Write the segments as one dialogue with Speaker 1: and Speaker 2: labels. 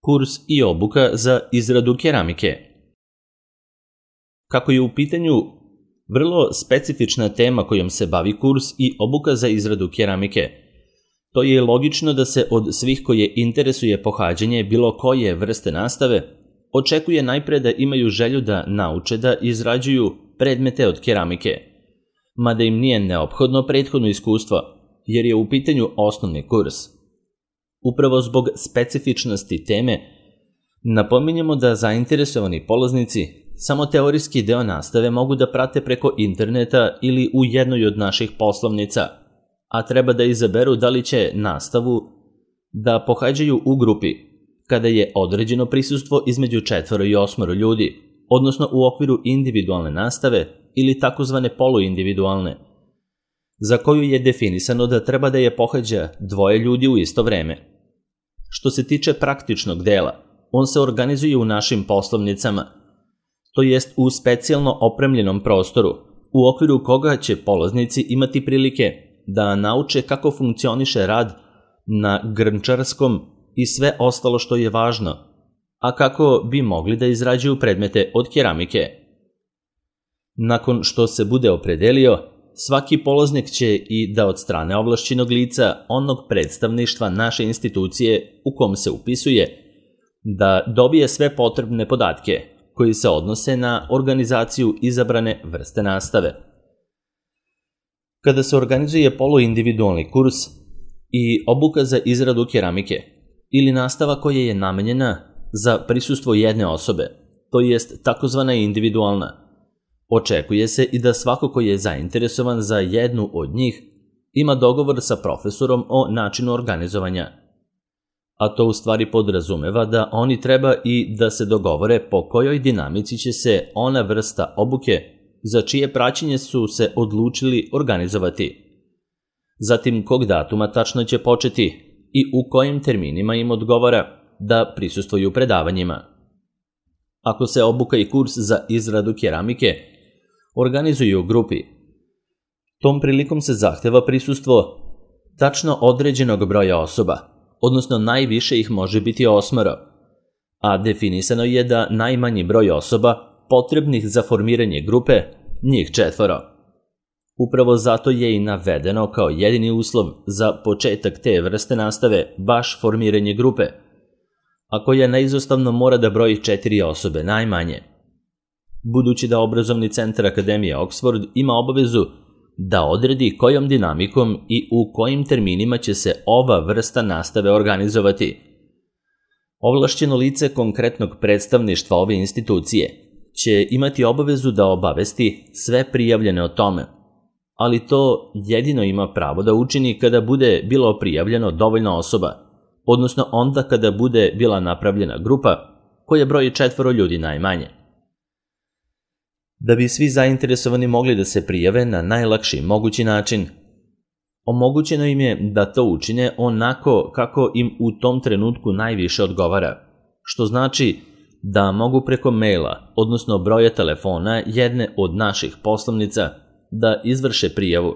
Speaker 1: kurs i obuka za izradu keramike. Kako je u pitanju vrlo specifična tema kojom se bavi kurs i obuka za izradu keramike, to je logično da se od svih koje interesuje pohađanje bilo koje vrste nastave očekuje najpre da imaju želju da nauče da izrađuju predmete od keramike, mada im nije neophodno prethodno iskustvo, jer je u pitanju osnovni kurs. Upravo zbog specifičnosti teme, napominjemo da zainteresovani polaznici samo teorijski deo nastave mogu da prate preko interneta ili u jednoj od naših poslovnica, a treba da izaberu da li će nastavu da pohađaju u grupi, kada je određeno prisustvo između 4 i 8 ljudi, odnosno u okviru individualne nastave ili takozvane poluindividualne, za koju je definisano da treba da je pohađa 2 ljudi u isto vreme. Što se tiče praktičnog dela, on se organizuje u našim poslovnicama, to jest u specijalno opremljenom prostoru, u okviru koga će polaznici imati prilike da nauče kako funkcioniše rad na grnčarskom i sve ostalo što je važno, a kako bi mogli da izrađuju predmete od keramike. Nakon što se bude opredelio, svaki polaznik će i da od strane ovlašćenog lica onog predstavništva naše institucije u kom se upisuje, da dobije sve potrebne podatke koji se odnose na organizaciju izabrane vrste nastave. Kada se organizuje poluindividualni kurs i obuka za izradu keramike ili nastava koja je namenjena za prisustvo jedne osobe, to jest takozvana individualna, očekuje se i da svako ko je zainteresovan za jednu od njih ima dogovor sa profesorom o načinu organizovanja. A to u stvari podrazumeva da oni treba i da se dogovore po kojoj dinamici će se ona vrsta obuke za čije praćenje su se odlučili organizovati. Zatim kog datuma tačno će početi i u kojim terminima im odgovara da prisustvuju predavanjima. Ako se obuka i kurs za izradu keramike organizuju u grupi, tom prilikom se zahteva prisustvo tačno određenog broja osoba, odnosno najviše ih može biti 8, a definisano je da najmanji broj osoba potrebnih za formiranje grupe, njih 4. Upravo zato je i navedeno kao jedini uslov za početak te vrste nastave baš formiranje grupe, a koja neizostavno mora da broji 4 osobe najmanje. Budući da obrazovni centar Akademije Oxford ima obavezu da odredi kojom dinamikom i u kojim terminima će se ova vrsta nastave organizovati. Ovlašćeno lice konkretnog predstavništva ove institucije će imati obavezu da obavesti sve prijavljene o tome, ali to jedino ima pravo da učini kada bude bilo prijavljeno dovoljno osoba, odnosno onda kada bude bila napravljena grupa koja broji 4 ljudi najmanje. Da bi svi zainteresovani mogli da se prijave na najlakši mogući način, omogućeno im je da to učine onako kako im u tom trenutku najviše odgovara, što znači da mogu preko maila, odnosno broja telefona jedne od naših poslovnica, da izvrše prijavu.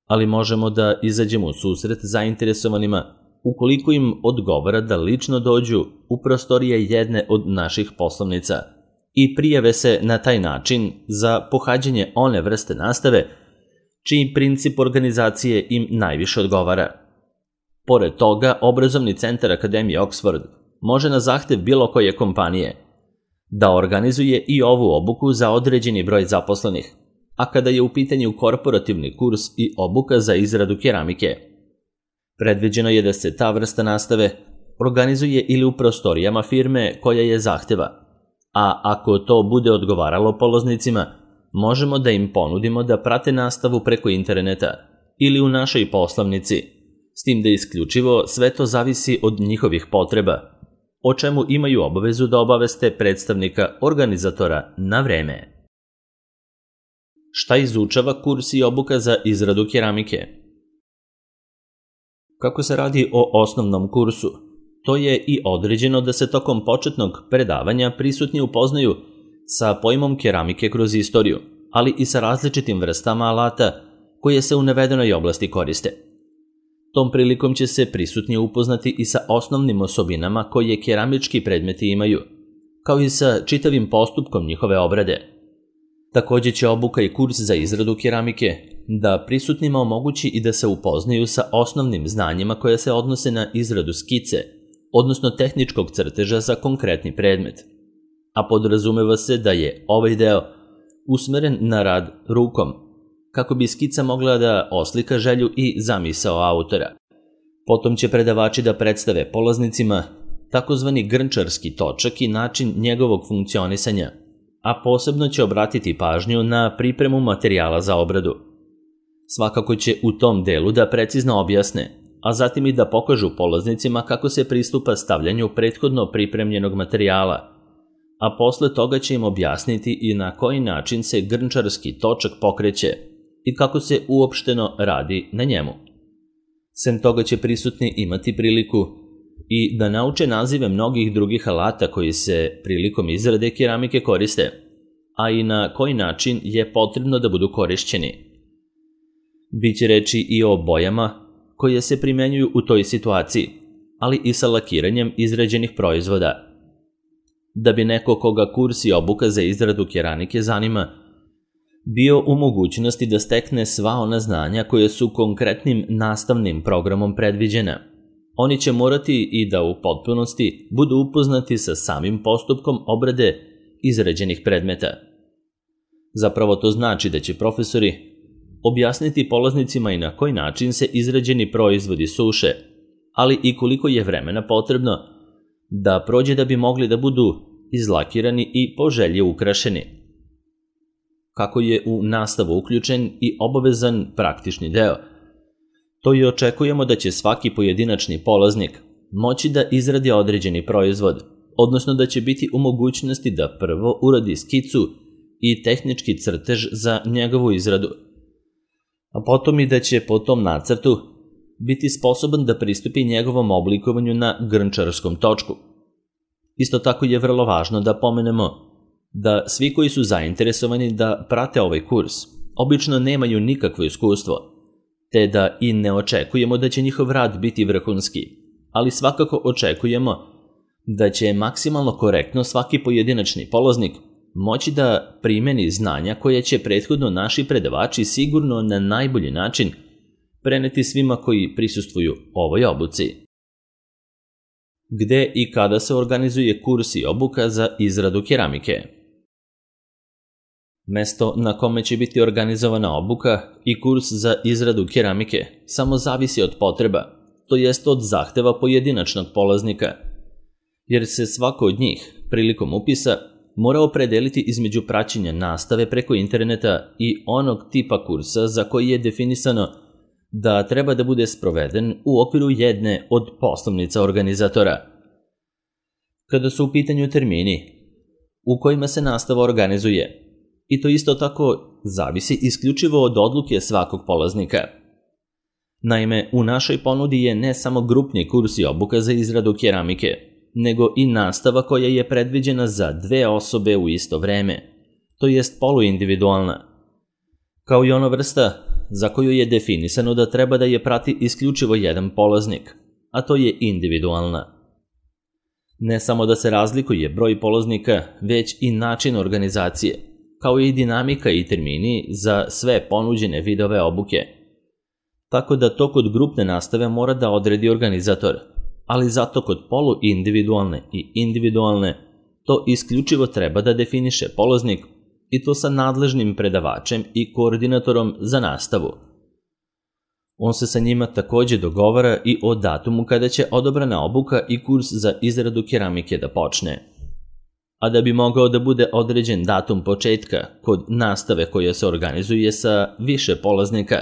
Speaker 1: Ali možemo da izađemo u susret zainteresovanima ukoliko im odgovara da lično dođu u prostorije jedne od naših poslovnica i prijave se na taj način za pohađanje one vrste nastave čiji princip organizacije im najviše odgovara. Pored toga, obrazovni centar Akademije Oxford može na zahtev bilo koje kompanije da organizuje i ovu obuku za određeni broj zaposlenih, a kada je u pitanju korporativni kurs i obuka za izradu keramike, predviđeno je da se ta vrsta nastave organizuje ili u prostorijama firme koja je zahteva, a ako to bude odgovaralo polaznicima, možemo da im ponudimo da prate nastavu preko interneta ili u našoj poslovnici, s tim da isključivo sve to zavisi od njihovih potreba, o čemu imaju obavezu da obaveste predstavnika organizatora na vreme. Šta izučava kurs i obuka za izradu keramike? Kako se radi o osnovnom kursu, to je i određeno da se tokom početnog predavanja prisutni upoznaju sa pojmom keramike kroz istoriju, ali i sa različitim vrstama alata koje se u navedenoj oblasti koriste. Tom prilikom će se prisutni upoznati i sa osnovnim osobinama koje keramički predmeti imaju, kao i sa čitavim postupkom njihove obrade. Također će obuka i kurs za izradu keramike da prisutnima omogući i da se upoznaju sa osnovnim znanjima koja se odnose na izradu skice, odnosno tehničkog crteža za konkretni predmet. A podrazumeva se da je ovaj deo usmeren na rad rukom, kako bi skica mogla da oslika želju i zamisao autora. Potom će predavači da predstave polaznicima takozvani grnčarski točak i način njegovog funkcionisanja, a posebno će obratiti pažnju na pripremu materijala za obradu. Svakako će u tom delu da precizno objasne, a zatim i da pokažu polaznicima kako se pristupa stavljanju prethodno pripremljenog materijala, a posle toga će im objasniti i na koji način se grnčarski točak pokreće i kako se uopšteno radi na njemu. Sem toga će prisutni imati priliku i da nauče nazive mnogih drugih alata koji se prilikom izrade keramike koriste, a i na koji način je potrebno da budu korišćeni. Biće reči i o bojama koje se primenjuju u toj situaciji, ali i sa lakiranjem izrađenih proizvoda. Da bi neko koga kurs i obuka za izradu keramike zanima, bio u mogućnosti da stekne sva ona znanja koje su konkretnim nastavnim programom predviđena. Oni će morati i da u potpunosti budu upoznati sa samim postupkom obrade izrađenih predmeta. Zapravo to znači da će profesori objasniti polaznicima i na koji način se izrađeni proizvodi suše, ali i koliko je vremena potrebno da prođe da bi mogli da budu izlakirani i po želji ukrašeni. Kako je u nastavu uključen i obavezan praktični deo, to i očekujemo da će svaki pojedinačni polaznik moći da izradi određeni proizvod, odnosno da će biti u mogućnosti da prvo uradi skicu i tehnički crtež za njegovu izradu, a potom i da će po tom nacrtu biti sposoban da pristupi njegovom oblikovanju na grnčarskom točku. Isto tako je vrlo važno da pomenemo da svi koji su zainteresovani da prate ovaj kurs obično nemaju nikakvo iskustvo, te da i ne očekujemo da će njihov rad biti vrhunski, ali svakako očekujemo da će maksimalno korektno svaki pojedinačni polaznik moći da primeni znanja koje će prethodno naši predavači sigurno na najbolji način preneti svima koji prisustvuju ovoj obuci. Gde i kada se organizuje kurs i obuka za izradu keramike? Mesto na kome će biti organizovana obuka i kurs za izradu keramike samo zavisi od potreba, to jest od zahteva pojedinačnog polaznika, jer se svako od njih, prilikom upisa, mora opredeliti između praćenja nastave preko interneta i onog tipa kursa za koji je definisano da treba da bude sproveden u okviru jedne od poslovnica organizatora. Kada su u pitanju termini u kojima se nastava organizuje, i to isto tako zavisi isključivo od odluke svakog polaznika. Naime, u našoj ponudi je ne samo grupni kurs i obuka za izradu keramike, nego i nastava koja je predviđena za 2 osobe u isto vreme, to jest poluindividualna, kao i ona vrsta za koju je definisano da treba da je prati isključivo jedan polaznik, a to je individualna. Ne samo da se razlikuje broj polaznika, već i način organizacije, kao i dinamika i termini za sve ponuđene vidove obuke. Tako da to kod grupne nastave mora da odredi organizator, ali zato kod poluindividualne i individualne to isključivo treba da definiše polaznik, i to sa nadležnim predavačem i koordinatorom za nastavu. On se sa njima također dogovara i o datumu kada će odobrana obuka i kurs za izradu keramike da počne. A da bi mogao da bude određen datum početka kod nastave koja se organizuje sa više polaznika,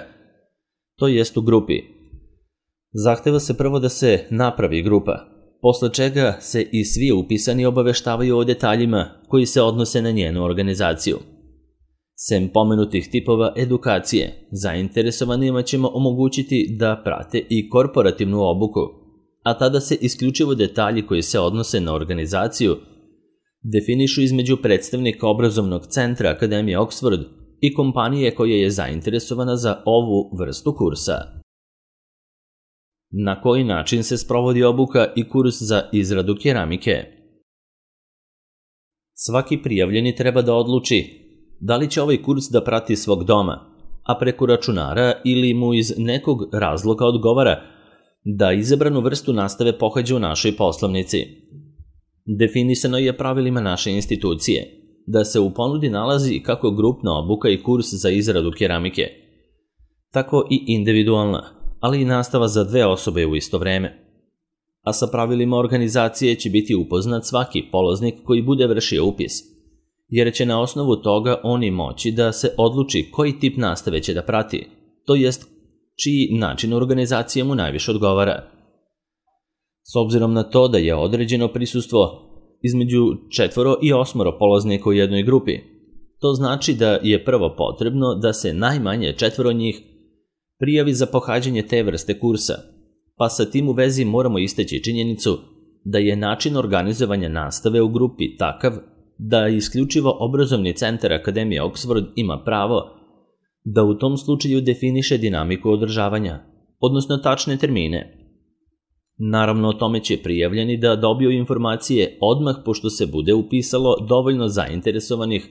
Speaker 1: to jest u grupi, zahteva se prvo da se napravi grupa, posle čega se i svi upisani obaveštavaju o detaljima koji se odnose na njenu organizaciju. Sem pomenutih tipova edukacije, zainteresovanima ćemo omogućiti da prate i korporativnu obuku, a tada se isključivo detalji koji se odnose na organizaciju definišu između predstavnika obrazovnog centra Akademije Oxford i kompanije koja je zainteresovana za ovu vrstu kursa. Na koji način se sprovodi obuka i kurs za izradu keramike? Svaki prijavljeni treba da odluči da li će ovaj kurs da prati svog doma, a preko računara ili mu iz nekog razloga odgovara da izabranu vrstu nastave pohađa u našoj poslovnici. Definisano je pravilima naše institucije da se u ponudi nalazi kako grupna obuka i kurs za izradu keramike, tako i individualna, ali i nastava za 2 osobe u isto vreme. A sa pravilima organizacije će biti upoznat svaki polaznik koji bude vršio upis, jer će na osnovu toga oni moći da se odluči koji tip nastave će da prati, to jest čiji način organizacije mu najviše odgovara. S obzirom na to da je određeno prisustvo između 4 i 8 polaznika u jednoj grupi, to znači da je prvo potrebno da se najmanje 4 njih prijavi za pohađanje te vrste kursa, pa sa tim u vezi moramo istaći činjenicu da je način organizovanja nastave u grupi takav da isključivo obrazovni centar Akademije Oxford ima pravo da u tom slučaju definiše dinamiku održavanja, odnosno tačne termine. Naravno, o tome će prijavljeni da dobiju informacije odmah pošto se bude upisalo dovoljno zainteresovanih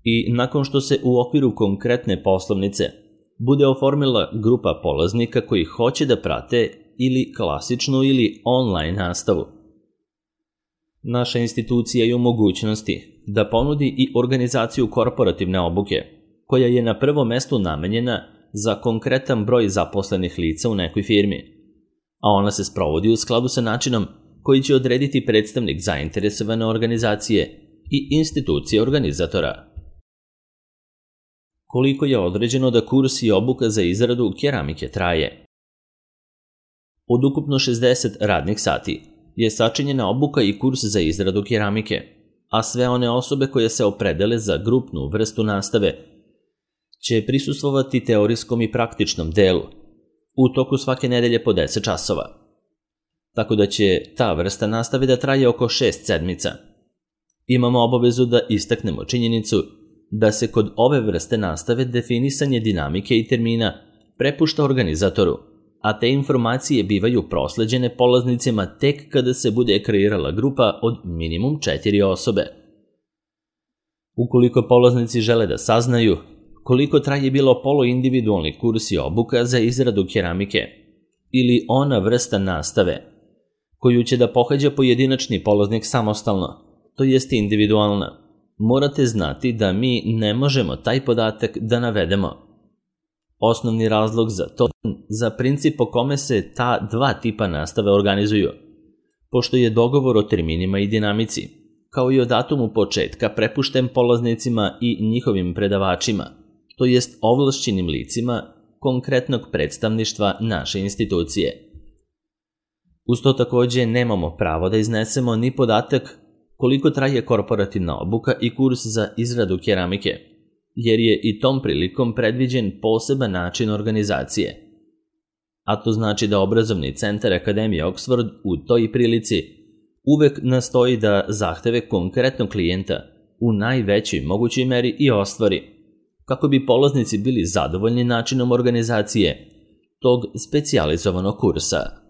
Speaker 1: i nakon što se u okviru konkretne poslovnice bude oformila grupa polaznika koji hoće da prate ili klasičnu ili online nastavu. Naša institucija je u mogućnosti da ponudi i organizaciju korporativne obuke, koja je na prvom mestu namenjena za konkretan broj zaposlenih lica u nekoj firmi, a ona se sprovodi u skladu sa načinom koji će odrediti predstavnik zainteresovane organizacije i institucije organizatora. Koliko je određeno da kurs i obuka za izradu keramike traje? Od ukupno 60 radnih sati je sačinjena obuka i kurs za izradu keramike, a sve one osobe koje se opredele za grupnu vrstu nastave će prisustvovati teorijskom i praktičnom delu u toku svake nedelje po 10 časova. Tako da će ta vrsta nastave da traje oko 6 sedmica. Imamo obavezu da istaknemo činjenicu da se kod ove vrste nastave definisanje dinamike i termina prepušta organizatoru, a te informacije bivaju prosleđene polaznicima tek kada se bude kreirala grupa od minimum 4 osobe. Ukoliko polaznici žele da saznaju koliko traje bilo poluindividualni kurs i obuka za izradu keramike ili ona vrsta nastave koju će da pohađa pojedinačni polaznik samostalno, to jest individualna, morate znati da mi ne možemo taj podatak da navedemo. Osnovni razlog za to za princip po kome se ta 2 tipa nastave organizuju, pošto je dogovor o terminima i dinamici, kao i o datumu početka prepušten polaznicima i njihovim predavačima, to jest ovlašćenim licima konkretnog predstavništva naše institucije. Uz to takođe nemamo pravo da iznesemo ni podatak koliko traje korporativna obuka i kurs za izradu keramike, jer je i tom prilikom predviđen poseban način organizacije. A to znači da obrazovni centar Akademije Oxford u toj prilici uvek nastoji da zahteve konkretnog klijenta u najvećoj mogućoj meri i ostvari, kako bi polaznici bili zadovoljni načinom organizacije tog specijalizovanog kursa.